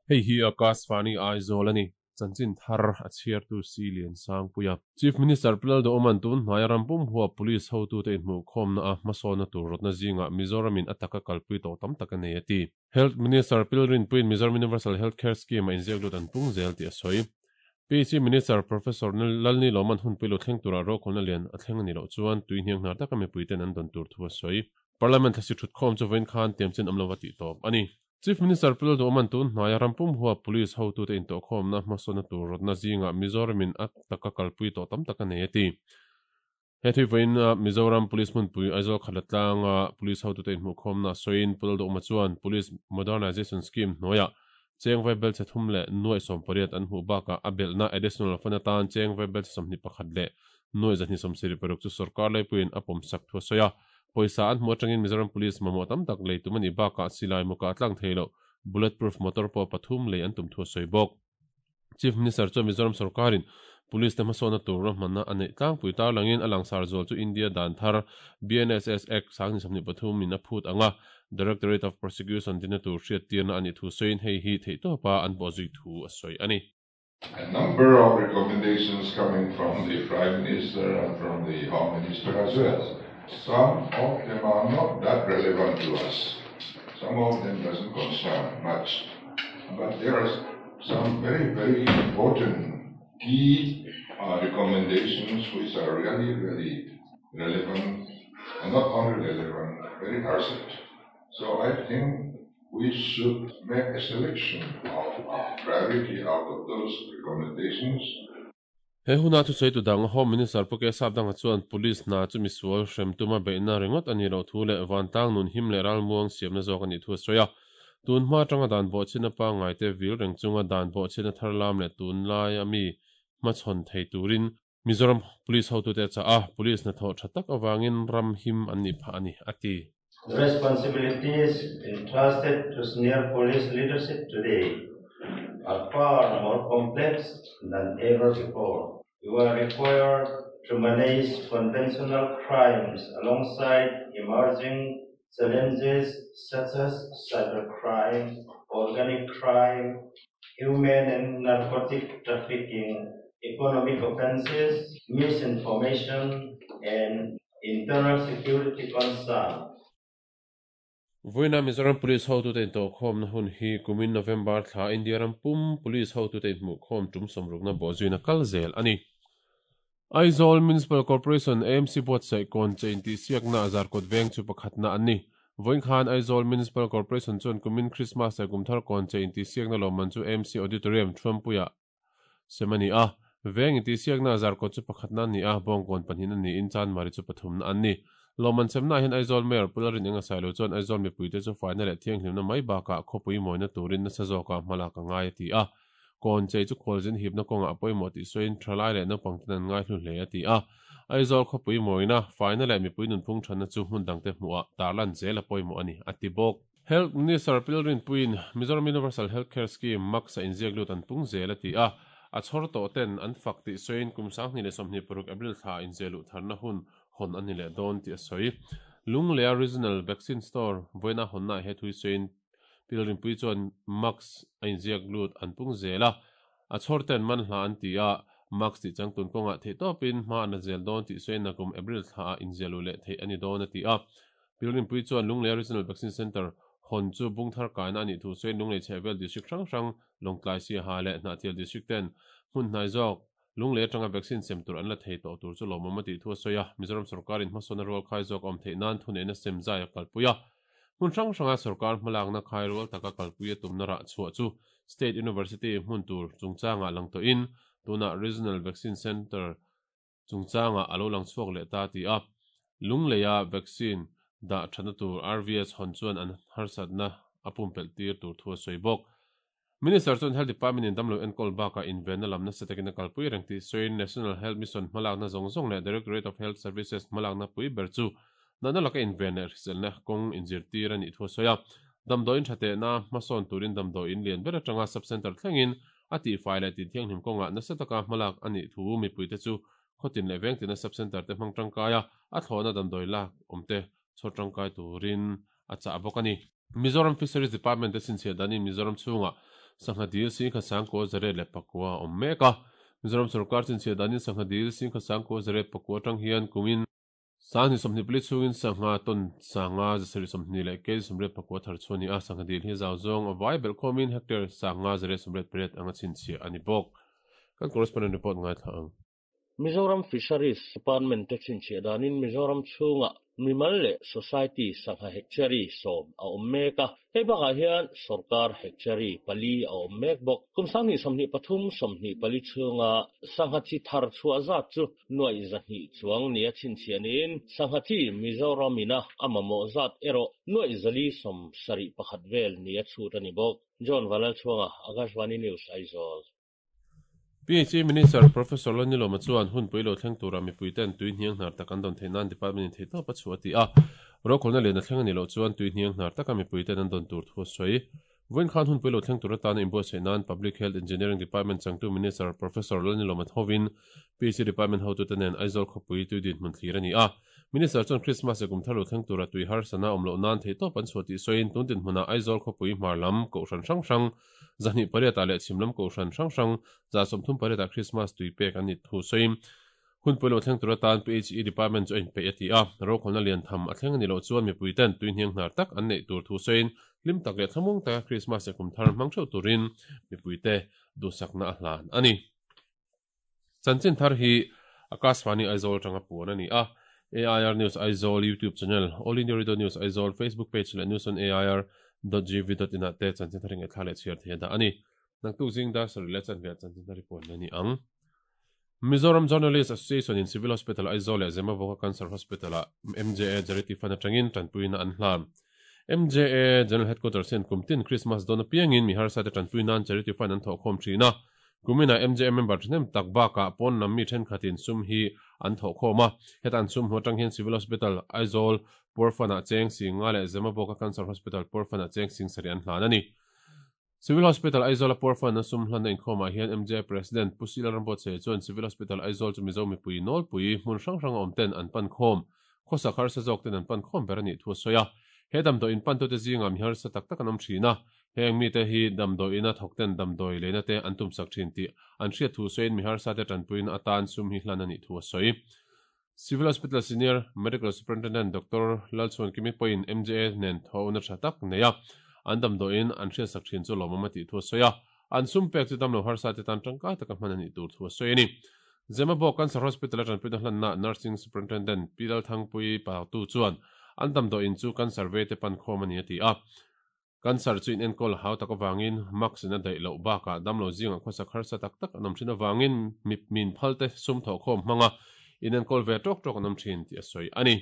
Hei hi Akashvani Aizawl a ni. Chanchin thar a chhiartu Si Liansangpuia. Chief Minister Pu Lalduhawma'n tun hnaia ram pum huap Police hotute inhmuhkhawmna a hmasawnna tur rawtna zingah Mizoramin a taka kalpui tawh tam tak a nei a ti. Health Minister Pil Rinpuiin Mizoram Universal Health Care Scheme a inziak lut an pung zel tih a sawi. PHE Minister Professor Lalni Lawman hunpui lo thleng tura rokhawlna lian a thleng a nih loh chuan tui hniang hnar taka mipuiten an dawn tur thu a sawi. Parliament thlasi thutkhawm chu vawiin khan tiamchin awm lova tih tawp a ni. Chief Minister Pu Lalduhawman tun hnaia ram pum huap Police hotute intawhkhawmna hmasawnna tur rawtna zingah Mizoramin a taka kalpui tawh tam tak a nei a ti. He thui vawiin Mizoram Police hmunpui Aizawl Khatlatlanga Police hotute inhmuhkhawmna sawiin Pu Lalduhawma chuan Police Modernization Scheme hnuaiah cheng vaibelchhe thum leh nuaih 18 an hmuh bakah a belhna additional fund atan cheng vaibelchhe 21 leh nuaih 276 chu sorkar laipuiin a pawmsak thu a sawi a. Pawisa an hmuh atangin Mizoram Police mamawh tam tak lei tum a nih bakah silai mukah tlang thei loh bulletproof motor pawh pathum lei an tum thu a sawi bawk. Chief Minister chuan Mizoram sorkarin Police te hmasawnna tur ruahmanna a neih tlangpui tarlangin a langsar zual chu India dan thar BNSS Act 2023 in a phut anga Directorate of Prosecution dinna tur hriattirna a nih thu sawiin hei hi theihtawpa an bawhzui thu a sawi a ni. A number of recommendations coming from the Prime Minister and from the Home Minister as well. Some of them are not that relevant to us. Some of them doesn't concern much. But there are some very, very important key uh, recommendations which are really, really relevant and not only relevant, very urgent. So I think we should make a selection of priority out of those recommendations. He huna thusawi tu dang Home Minister Pu Kesap Danga chuan Police hna chu misual hrem tuma beihna ringawt a nih loh thu leh vantlang nun him leh ralmuang siamna zawk a nih thu a sawi a. Tun hma atanga dan bawhchhiatna pangngai te vil reng chunga dan bawhchhiatna thar lam leh tunlai a mi hmachhawn thei turin Mizoram Police hotute a chah a, Police hnathawh tha tak avangin ram him an nih phah a ni, a ti. The responsibilities entrusted to senior police leadership today are far more complex than ever before. You are required to manage conventional crimes alongside emerging challenges such as cybercrime, organic crime, human and narcotic trafficking, economic offenses, misinformation, and internal security concerns. Vawiina Mizoram Police hotute intawhkhawmna hun hi kumin November thla India ram pum Police hotute inhmuhkhawm tum sawmrukna bawhzuina kal zel a ni. Aizawl Municipal Corporation, AMC, buatsaih kawn che intihsiakna a zarkawt veng chu pakhatna an ni. Vawiin khan Aizawl Municipal Corporation chuan kumin Christmas leh Kumthar kawn che intihsiakna lawmman chu AMC Auditorium, Thuampuiah sem a ni a. Veng intihsiakna a zarkawt chu pakhatna an ni a, Bawngkawn pahnihna niin Chanmari chu pathumna an ni. Lawmman semnaah hian Aizawl Mayor Pu Lalrin Engasailo chuan Aizawl mipuite chu faina leh thianghlimna mai bakah khawpui mawina turin nasa zawka hmalak a ngai a ti a. Kawn chei chu khualzin hipna kawngah a pawimawh tih sawiin thalai leh naupang ten an ngaihlu hle a ti a. Aizawl khawpui mawina, faina leh mipui nunphung thatna chu hmun dangte hmuhah tarlan zel a pawimawh a ni, a ti bawk. Health Minister Pilrinpuiin Mizoram Universal Health Care Scheme, MACS, a inziak lut an pung zel a ti a. A chhawr tawh ten an fak tih sawiin kum 2026 April thla ah inziah luh tharna hun hawn a ni leh dawn tih a sawi. Lunglea Regional Vaccine Store vawiina hawnnaah he thu hi sawiin Pilrinpui chuan Max a inziak lut an pung zel a, a chhawr ten man hla an ti a, Max tih changtun kawngah theih tawpin hma an la zel dawn tih sawiin nakum April thlaah inziah luh leh theih a ni dawn a ti a. Pilrinpui chuan Lunglei Regional Vaccine Centre hawn chu bungthar kaina a nih thu sawiin Lunglei chhehvel District hrang hrang Lawngtlai Siaha leh Hnahthial District ten hmun hnai zawk Lunglei atanga vaccine sem tur an la thei tawh tur chu lawmawm a tih thu a sawi a, Mizoram sorkarin hmasawnna rual khai zawk a awm theih nan thuneihna sem zai a kalpui a. Hmun hrang hranga sorkar hmalakna khai rual taka kalpui a tumna rah chhuah chu State University hmun tur chungchangah lang tawhin tunah Regional Vaccine Centre chungchangah a lo lang chhuak leh ta ti a. Lungleia vaccine dah thatna tur RVS hawn chuan an harsatna a pumpelh tir tur thu a sawi bawk. Minister chuan Health Department in damlo enkawl bakah invenna lam nasa takin a kalpui reng tih sawiin National Health Mission hmalakna zawng zawng leh Directorate of Health Services hmalakna pui ber chu natna laka inven leh hriselna kawng inzirtir a nih thu a sawi a. Damdawiin tha tehna hmasawn turin damdawiin lian ber atanga sub-centre thlengin a tihfai leh tinthianghlim kawngah nasa taka hmalak a nih thu mipuite chu khawtin leh vengtina sub-centre te hmang tangkai a, a thlawhna damdawi lak awmte chhawr tangkai turin a chah bawk a ni. Mizoram Fisheries Department te chhinchhiah danin Mizoram chhungah sangha dil singkhat 9804 a awm mek a. Mizoram sorkar chinchhiah danin sangha dil singkhat 9804 atang hian kumin 2024 chhungin sangha tawn 5720 leh kg 84 thar chhuah a ni a, sangha dil hi zau zawng a vai belh khawmin hectare 5188 anga chhinchhiah a ni bawk. Kan correspondent report ngaithla ang. Mizoram Fisheries Department te chhinchhiah danin Mizoram chhungah mimal leh society sangha hectare 10 a awm mek a, hei bakah hian sorkar hectare pali a awm mek bawk. Kum 2023 24 chhunga sangha chi thar chhuah zat chu nuaih 200 chuang nia chhinchhiah niin sangha chi Mizoram ina a mamawh zat erawh nuaih 471 vel nia chhut a ni bawk. John Vanlalchhuanga, Akashvani News, Aizawl. PHE Minister Professor Lalnilawma chuan hun pui lo thleng tura mipuiten tui hniang hnar tak an dawn theih nan Department in theihtawp a chhuah a ti a. Rokhawlna lian a thleng a nih loh chuan tui hniang hnar taka mipuiten an dawn tur thu a sawi. Vawiin khan hun pui lo thleng tur atana inbuatsaih nan Public Health Engineering Department changtu Minister Professor Lalnilawma thovin PHE Department hotute nen Aizawl khawpui tui dinhmun thlir a ni a. Minister chuan Christmas leh kum thar lo thleng tura tui harsana awm loh nan theihtawp an chhuah tih sawiin tun dinhmunah Aizawl khawpui hmar lam kohhran hrang hrang 208 ah leh chhim lam kohhran hrang hrang 138 ah Krismas tui pek an nih thu sawiin hun pawilo thleng tur atan PHE Department chu a inpeih a ti a. Rokhawlna lian tham a thleng a nih loh chuan mipui ten tui hniang hnar tak an neih tur thu sawiin hlim tak leh thlamuang taka Krismas leh kum thar hmang theuh turin mipuite duhsakna a hlan a ni. Chanchin thar hi Akashvani Aizawl atanga puan a ni a. AIR News Aizawl YouTube channel, All India Radio News Aizawl Facebook page leh News on AIR dot gov dot in ah te chanchin thar hi ngaihthla leh chhiar thei a dah a ni. Naktuk zing dar sarih leh chanve ah chanchin thar hi puan a ni ang. Mizoram Journalist Association in Civil Hospital Aizawl leh Zemabawka Cancer Hospital ah MJA Charity Fund atangin tanpuina an hlan. MJA General Headquarters hian kum tin Christmas dawn apiangin mi harsa te tanpui nan Charity Fund an thawhkhawm thin a. Kuminah MJA member thahnem tak bakah pawn lam mi thenkhatin sum hi an thawhkhawm a. Heta an sum hmu atang hian Civil Hospital, Aizawl, Purfan-ah cheng sing nga leh Zemabawka Cancer Hospital, Purfan-ah cheng sing sarih an hlan a ni. Civil Hospital Aizawl-a Purfan-a sum hlanna inkhawmah hian MJA President Pu Sila Rambuatsaia chuan Civil Hospital Aizawl chu Mizo mipui nawlpui hmun hrang hranga awm ten an pan khawm, khawsak harsa zawk ten an pan khawm ber a nih thu a sawi a. He damdawi inpantute zingah mi harsa tak tak an awm thin a, Heng mite hi damdawiina thawkten damdawi leina te an tumsak thin tih an hriat thu sawiin mi harsate tanpuina atan sum hi hlan a nih thu a sawi. Civil Hospital Senior Medical Superintendent Doctor Lalchhuankimi pawhin MJA nen thawhna tha tak nei a, an damdawiin an hriatsak thin chu lawmawm a tih thu a sawi a, an sum pek chu damlo harsate tan tangkai taka hman a nih tur thu a sawi a ni. Zemabawk Cancer Hospital a tanpuina hlanna Nursing Superintendent Pi Lalthangpuii Pautu chuan an damdawiin chu cancer veite pan khawm a ni a ti a. Cancer chu inenkawl hau tak avangin mask in a daih loh bakah damlo zingah khawsak harsa tak tak an awm thin avangin mip min phal te sum thawhkhawm hmanga inenkawl ve tawk tawk an awm thin tih a sawi a ni.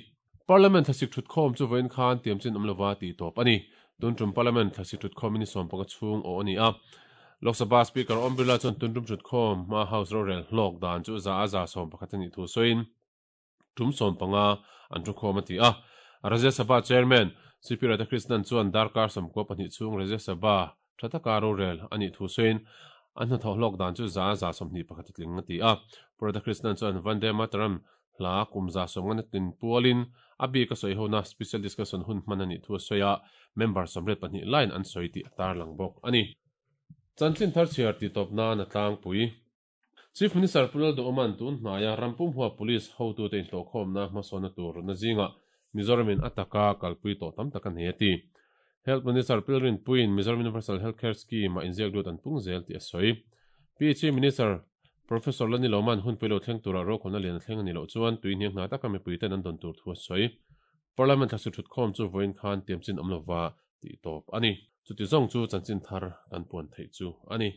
Parliament thlasik thutkhawm chu vawiin khan tiamchin awm lova tih tawp a ni. Tun tum Parliament thlasik thutkhawm in ni 15 chhung aw a ni a. Lok Sabha Speaker Om Birla chuan tun tum thutkhawm hma House rorel hlawk dan chu za a 11% a nih thu sawiin, Tum 15 an thukhawm a ti a. Rajya Sabha Chairman CP Radhakrishnan chuan darkar 92 chhung Rajya Sabha tha taka rorel a nih thu sawiin an hnathawh hlawk dan chu 121% a tling a ti a. Pu Radhakrishnan chuan Vande Mataram hla kum 150 tlin pualin a bik a sawi hona special discussion hun hman a nih thu a sawi a, member 82 laiin an sawi tih a tarlang bawk a ni. Chanchin thar chhiar titawp nan a tlangpui. Chief Minister Pu Lalduhawma'n tun hnaia ram pumhua Police hotute inhlawhkhawmna hmasawnna tur rawtna zingah Mizoramin a taka kalpui tawh tam tak a nei a ti. Health Minister Pilrin Puiin Mizoram Universal Health Care Scheme-ah inziak lut an pung zel tih a sawi. PHE Minister Professor Lani Loma'n hunpui lo thleng turah rokhawlna lian a thleng a nih loh chuan tui hniang hna taka mipuiten an dawn tur thu a sawi. Parliament thla suthutkhawm chu vawiin khan tiamchin awm lova tih tawp a ni. Chuti zawng chu chanchin thar kan puan theih chu a ni.